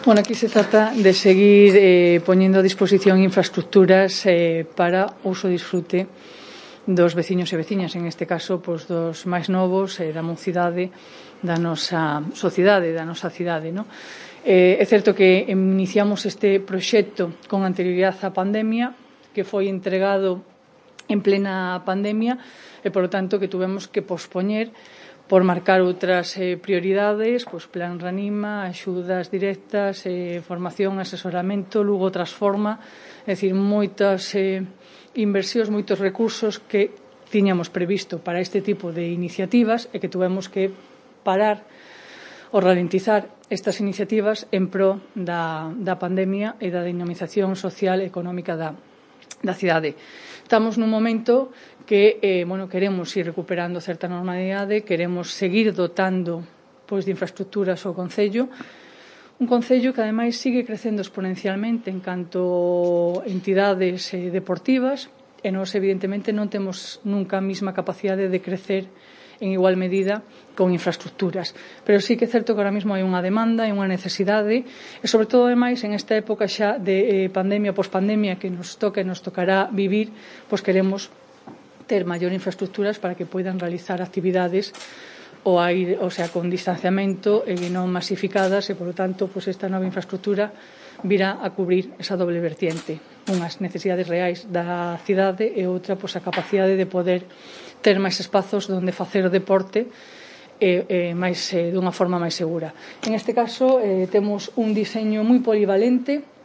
Bueno, aquí se trata de seguir poñendo a disposición infraestructuras para uso e disfrute dos veciños e veciñas, en este caso, pois, dos máis novos da mocidade da nosa sociedade, da nosa cidade, non? É certo que iniciamos este proxecto con anterioridade á pandemia, que foi entregado en plena pandemia e, por lo tanto, que tuvemos que pospoñer por marcar outras prioridades, pois Plan Reanima, axudas directas, formación, asesoramento, Lugo Transforma, é dicir, moitas inversións, moitos recursos que tiñamos previsto para este tipo de iniciativas e que tuvemos que parar ou ralentizar estas iniciativas en pro da pandemia e da dinamización social e económica da cidade. Estamos nun momento que queremos ir recuperando certa normalidade, queremos seguir dotando pois, de infraestructuras ao Concello, un Concello que ademais sigue crecendo exponencialmente en canto entidades deportivas e nós evidentemente non temos nunca a mesma capacidade de crecer en igual medida con infraestructuras. Pero sí que é certo que ahora mesmo hai unha demanda, hai unha necesidade e, sobre todo, ademais, en esta época xa de pandemia, pospandemia, que nos toca e nos tocará vivir, pois queremos ter maior infraestructuras para que poidan realizar actividades con distanciamento e non masificadas e, por lo tanto, pois esta nova infraestructura virá a cubrir esa doble vertiente, unhas necesidades reais da cidade e outra, pois, a capacidade de poder ter máis espazos onde facer o deporte dunha forma máis segura. En este caso, temos un diseño moi polivalente.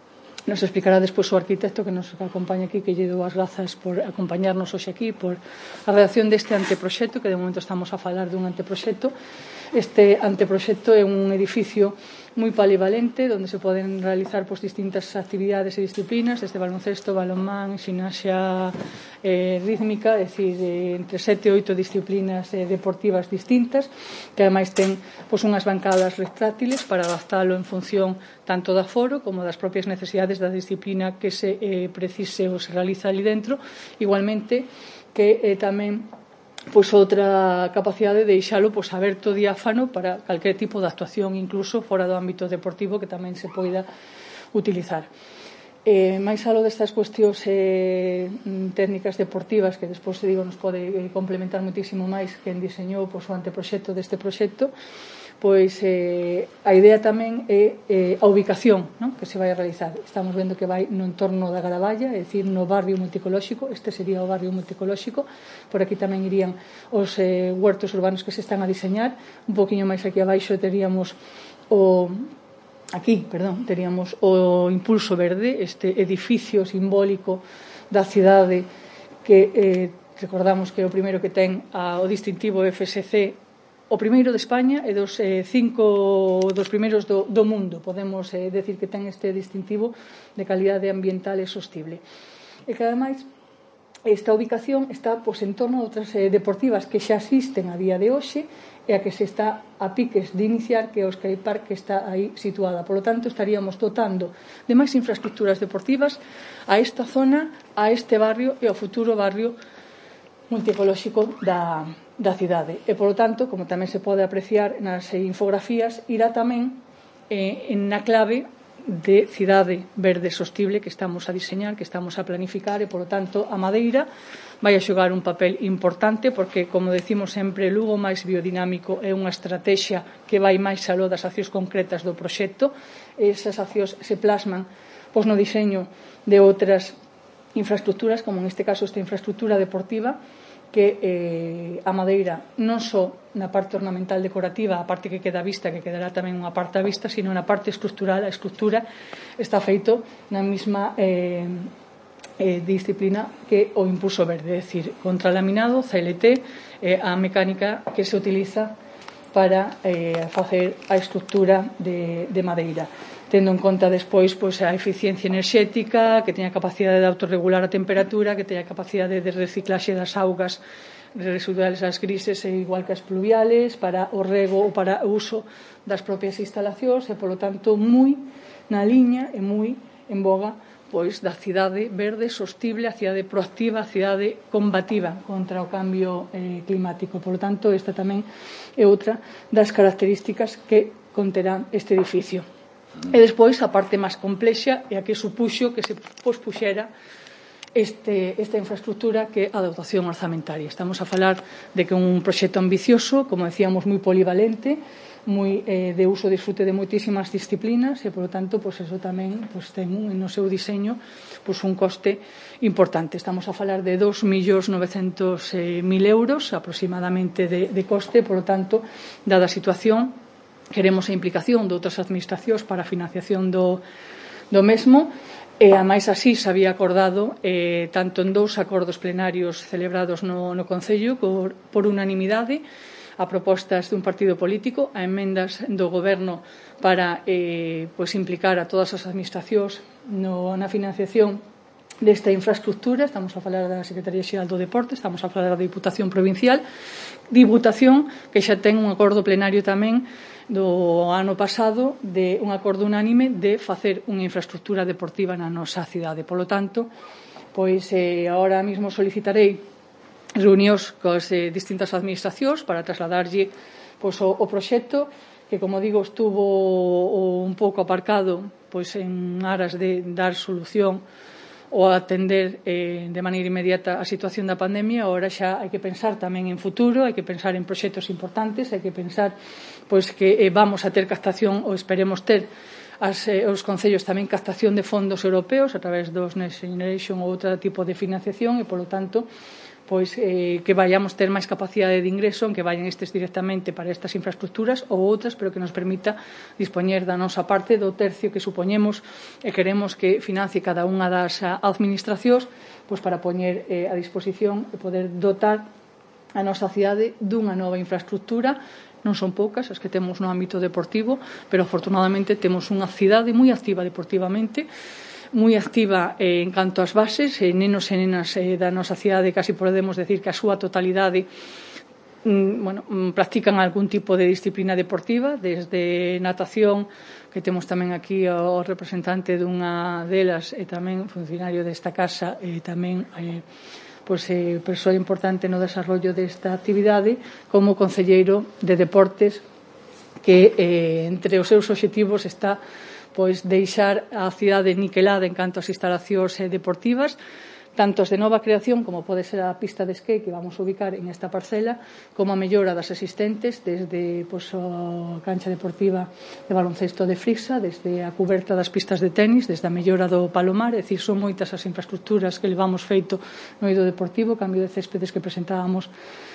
Nos explicará despois o arquitecto que nos acompaña aquí, que lle dou as grazas por acompañarnos hoxe aquí, por a redacción deste anteproxecto, que de momento estamos a falar dun anteproxecto. Este anteproxecto é un edificio moi polivalente, onde se poden realizar distintas actividades e disciplinas, desde baloncesto, balonmán, ximnasia rítmica, é dicir, entre 7 e 8 disciplinas deportivas distintas, que ademais ten unhas bancadas retráctiles para adaptalo en función tanto do aforo como das propias necesidades da disciplina que se precise ou se realiza ali dentro. Igualmente que tamén outra capacidade de deixalo aberto, diáfano, para calquer tipo de actuación, incluso fora do ámbito deportivo, que tamén se poida utilizar. Máis aló destas cuestións técnicas deportivas, que despois nos pode complementar moitísimo máis quen diseñou o anteproxecto deste proxecto, pois a idea tamén é a ubicación que se vai a realizar. Estamos vendo que vai no entorno da Garaballa, é dicir, no barrio multicolóxico. Este sería o barrio multicolóxico. Por aquí tamén irían os huertos urbanos que se están a diseñar. Un poquinho máis aquí abaixo teríamos o Impulso Verde, este edificio simbólico da cidade que recordamos que é o primeiro que ten o distintivo FSC, o primeiro de España e dos 5 dos primeiros do mundo. Podemos decir que ten este distintivo de calidade ambiental e sostible. E que, ademais, esta ubicación está en torno a outras deportivas que xa existen a día de hoxe e a que se está a piques de iniciar, que é o Sky Park, que está aí situada. Por lo tanto, estaríamos dotando de máis infraestructuras deportivas a esta zona, a este barrio e ao futuro barrio multicolóxico da cidade. E, por lo tanto, como tamén se pode apreciar nas infografías, irá tamén na clave de cidade verde sostible que estamos a diseñar, que estamos a planificar e, por lo tanto, a madeira vai a xogar un papel importante porque, como decimos sempre, Lugo máis biodinámico é unha estrategia que vai máis aló das accións concretas do proxecto. Esas accións se plasman no diseño de outras infraestructuras, como en este caso esta infraestructura deportiva, que a madeira non só na parte ornamental decorativa, a parte que queda vista, que quedará tamén unha parte a vista, sino na parte estructural. A estructura está feito na mesma disciplina que o Impulso Verde, é dicir, contralaminado, CLT, a mecánica que se utiliza para facer a estructura de madeira, tendo en conta despois a eficiencia enerxética, que teña capacidade de autorregular a temperatura, que teña capacidade de reciclaxe das augas residuales as grises e igual que as pluviales, para o rego ou para o uso das propias instalacións e, polo tanto, moi na liña e moi en boga da cidade verde, sostible, a cidade proactiva, a cidade combativa contra o cambio climático. Por lo tanto, esta tamén é outra das características que conterá este edificio. E despois a parte máis complexa é a que supuxo que se pospuxera esta infraestructura, que é a dotación orzamentaria. Estamos a falar de que un proxecto ambicioso, como decíamos, moi polivalente, moi de uso e disfrute de moitísimas disciplinas e, polo tanto, eso tamén ten no seu diseño un coste importante. Estamos a falar de 2.900.000 euros aproximadamente de coste, polo tanto, dada a situación, queremos a implicación de outras administracións para a financiación do mesmo. E, ademais, así se había acordado tanto en 2 acordos plenarios celebrados no Concello por unanimidade, a propostas dun partido político, a emendas do Goberno para implicar a todas as administracións na financiación desta infraestructura. Estamos a falar da Secretaría Xeral do Deporte, estamos a falar da Diputación Provincial, Diputación que xa ten un acordo plenario tamén do ano pasado, de un acordo unánime de facer unha infraestructura deportiva na nosa cidade. Polo tanto, agora mesmo solicitarei reunións coas distintas administracións para trasladarlle o proxecto, que, como digo, estuvo un pouco aparcado en aras de dar solución ou atender de maneira inmediata a situación da pandemia. Agora xa hai que pensar tamén en futuro, hai que pensar en proxectos importantes, hai que pensar que vamos a ter captación, ou esperemos ter os concellos tamén captación de fondos europeos a través dos Next Generation ou outro tipo de financiación, e, polo tanto, que vayamos ter máis capacidade de ingreso, en que vayan estes directamente para estas infraestructuras ou outras, pero que nos permita dispoñer da nosa parte do tercio que supoñemos e queremos que financie cada unha das administracións para poñer a disposición e poder dotar a nosa cidade dunha nova infraestructura. Non son poucas as que temos no ámbito deportivo, pero afortunadamente temos unha cidade moi activa deportivamente, moi activa en canto ás bases, nenos e nenas da nosa cidade, casi podemos decir que a súa totalidade practican algún tipo de disciplina deportiva, desde natación, que temos tamén aquí o representante dunha delas e tamén funcionario desta casa, e tamén persoa importante no desarrollo desta actividade, como concelleiro de deportes, que entre os seus obxectivos está deixar a cidade niquelada en canto ás instalacións deportivas, tanto as de nova creación, como pode ser a pista de esquí que vamos a ubicar en esta parcela, como a mellora das existentes, desde a cancha deportiva de baloncesto de Frixa, desde a cuberta das pistas de tenis, desde a mellora do Palomar. É dicir, son moitas as infraestructuras que levamos feito no eido deportivo, cambio de céspedes que presentábamos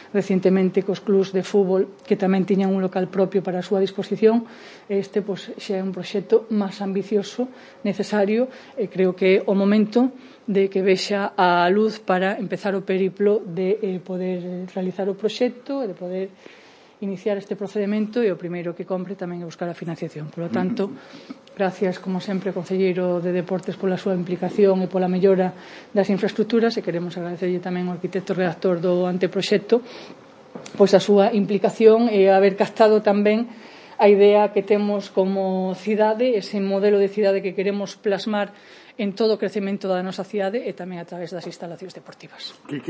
recientemente cos clubs de fútbol, que tamén tiñan un local propio para a súa disposición. Este xa é un proxecto máis ambicioso, necesario, e creo que é o momento de que vexa a luz para empezar o periplo de poder realizar o proxecto e de poder iniciar este procedimento, e o primeiro que compre tamén é buscar a financiación. Por lo tanto, gracias, como sempre, ao Concelleiro de Deportes pola súa implicación e pola mellora das infraestructuras, e queremos agradecerlle tamén ao arquitecto redactor do anteproxecto a súa implicación e haber captado tamén a idea que temos como cidade, ese modelo de cidade que queremos plasmar en todo o crecemento da nosa cidade, e tamén a través das instalacións deportivas.